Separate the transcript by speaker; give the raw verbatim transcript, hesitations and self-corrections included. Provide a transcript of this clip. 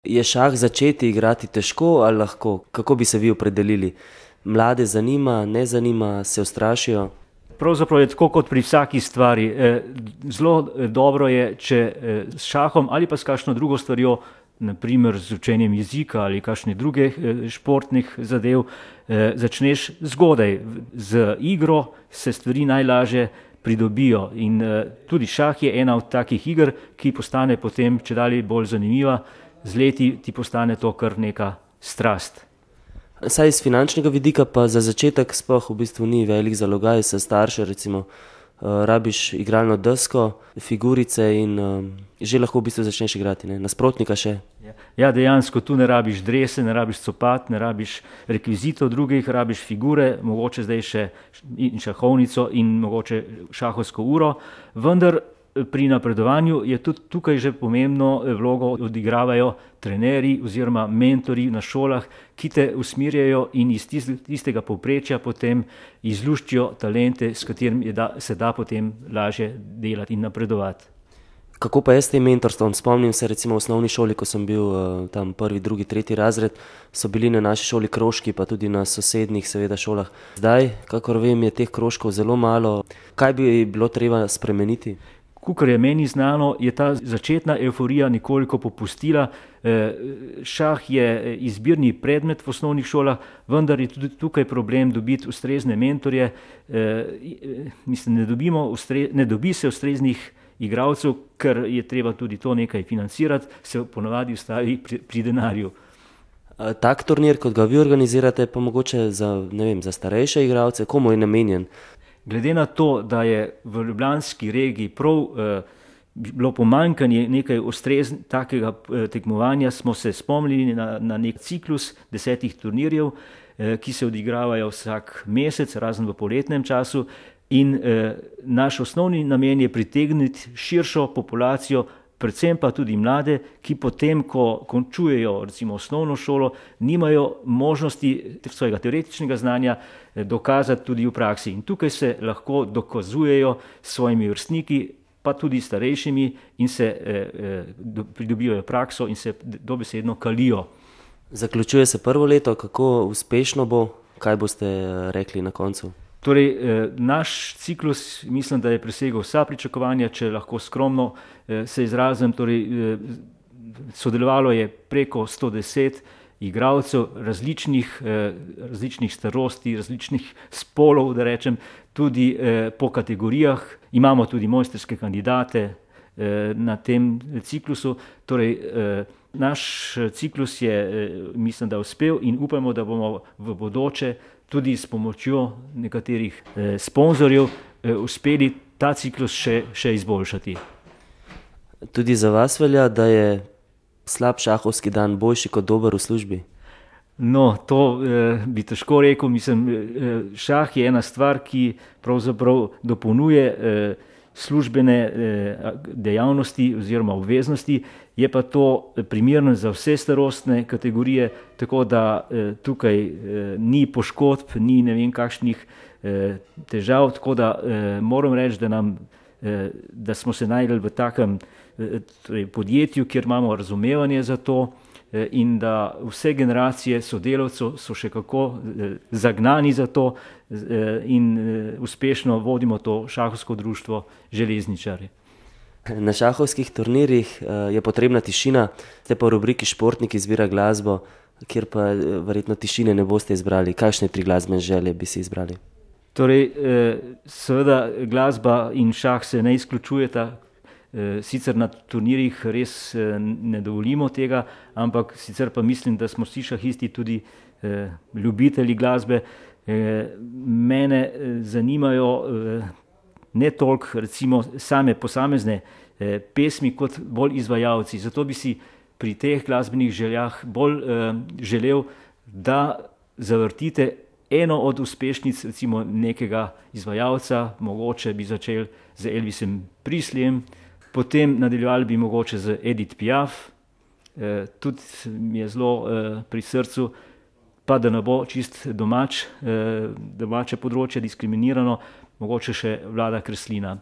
Speaker 1: Je šah začeti igrati težko ali lahko? Kako bi se vi opredelili? Mlade zanima, ne zanima, se ustrašijo?
Speaker 2: Pravzaprav je tako kot pri vsaki stvari. Zelo dobro je, če s šahom ali pa s kakšno drugo stvarjo, na primer z učenjem jezika ali kakšnih drugih športnih zadev, začneš zgodaj. Z igro se stvari najlažje pridobijo in tudi šah je ena od takih iger, ki postane potem čedalje bolj zanimiva. Z leti ti postane to kar neka strast.
Speaker 1: Saj iz finančnega vidika pa za začetek sploh v bistvu ni velik zalogaj, za starše recimo. Rabiš igralno desko, figurice in že lahko v bistvu začneš igrati, ne? Nasprotnika še.
Speaker 2: Ja, dejansko tu ne rabiš drese, ne rabiš copat, ne rabiš rekvizitov drugih, rabiš figure, mogoče zdaj še in šahovnico in mogoče šahovsko uro, vendar pri napredovanju je tudi tukaj že pomembno vlogo odigravajo trenerji oziroma mentorji na šolah, ki te usmerjajo in iz tistega povprečja potem izluščijo talente, s katerimi se da potem lažje delati in napredovati.
Speaker 1: Kako pa je s tem mentorstvom? Spomnim se recimo v osnovni šoli, ko sem bil tam prvi, drugi, tretji razred, so bili na naši šoli krožki, pa tudi na sosednjih seveda šolah. Zdaj, kakor vem, je teh krožkov zelo malo. Kaj bi bilo treba spremeniti?
Speaker 2: Kakor je meni znano, je ta začetna evforija nekoliko popustila. Šah je izbirni predmet v osnovnih šolah, vendar je tudi tukaj problem dobiti ustrezne mentorje. Mislim, ne dobimo, ne dobi se ustreznih igralcev, ker je treba tudi to nekaj financirati, se ponavadi ustavi pri, pri denarju.
Speaker 1: Tak turnir, kot ga vi organizirate, pa mogoče za, ne vem, za starejše igralce, komu je namenjen?
Speaker 2: Glede na to, da je v ljubljanski regiji prav eh, bilo pomanjkanje nekaj ustrezn takega eh, tekmovanja, smo se spomnili na, na nek ciklus desetih turnirjev, eh, ki se odigravajo vsak mesec, razen v poletnem času. In eh, naš osnovni namen je pritegniti širšo populacijo, predvsem pa tudi mlade, ki potem, ko končujejo recimo osnovno šolo, nimajo možnosti svojega teoretičnega znanja dokazati tudi v praksi. In tukaj se lahko dokazujejo s svojimi vrstniki, pa tudi starejšimi in se eh, pridobivajo prakso in se dobesedno kalijo.
Speaker 1: Zaključuje se prvo leto, kako uspešno bo, kaj boste rekli na koncu?
Speaker 2: Torej, naš ciklus mislim, da je presegel vsa pričakovanja, če lahko skromno se izrazim. Torej, sodelovalo je preko sto deset igralcev različnih, različnih starosti, različnih spolov, da rečem, tudi po kategorijah. Imamo tudi mojstrske kandidate na tem ciklusu. Torej, naš ciklus je, mislim, da uspel in upamo, da bomo v bodoče tudi s pomočjo nekaterih eh, sponzorjev eh, uspeli ta ciklus še, še izboljšati.
Speaker 1: Tudi za vas velja, da je slab šahovski dan boljši kot dober v službi?
Speaker 2: No, to eh, bi težko rekel. Mislim, eh, šah je ena stvar, ki pravzaprav dopolnjuje eh, službene eh, dejavnosti oziroma obveznosti, je pa to primerno za vse starostne kategorije, tako da eh, tukaj eh, ni poškodb, ni ne vem kakšnih eh, težav, tako da eh, moram reči, da, nam, eh, da smo se našli v takem eh, torej podjetju, kjer imamo razumevanje za to eh, in da vse generacije sodelavcev so še kako eh, zagnani za to eh, in eh, uspešno vodimo to šahovsko društvo Železničarji.
Speaker 1: Na šahovskih turnirjih je potrebna tišina, ste pa v rubriki Športnik izbira glasbo, kjer pa verjetno tišine ne boste izbrali. Kakšne tri glasbene želje bi si izbrali?
Speaker 2: Torej, seveda glasba in šah se ne izključujeta, sicer na turnirjih res ne dovolimo tega, ampak sicer pa mislim, da smo vsi šahisti tudi ljubitelji glasbe. Mene zanimajo ne toliko recimo same posamezne eh, pesmi kot bolj izvajalci. Zato bi si pri teh glasbenih željah bolj eh, želel, da zavrtite eno od uspešnic recimo nekega izvajalca, mogoče bi začel z Elvisom Presleyjem, potem nadaljevali bi mogoče z Edith Piaf, eh, tudi mi je zelo eh, pri srcu, pa da ne bo čist domač, eh, domače področje diskriminirano, mogoče še Vlada Kreslina.